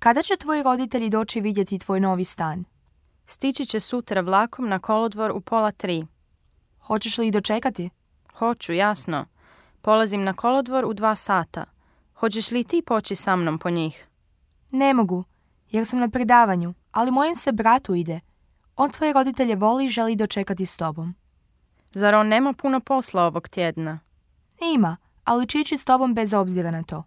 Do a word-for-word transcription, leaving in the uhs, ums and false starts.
Kada će tvoji roditelji doći vidjeti tvoj novi stan? Stići će sutra vlakom na kolodvor u pola tri. Hoćeš li ih dočekati? Hoću, jasno. Polazim na kolodvor u dva sata. Hoćeš li ti poći sa mnom po njih? Ne mogu, jer sam na predavanju, ali mojem se bratu ide. On tvoje roditelje voli i želi dočekati s tobom. Zar on nema puno posla ovog tjedna? Ima, ali će ići s tobom bez obzira na to.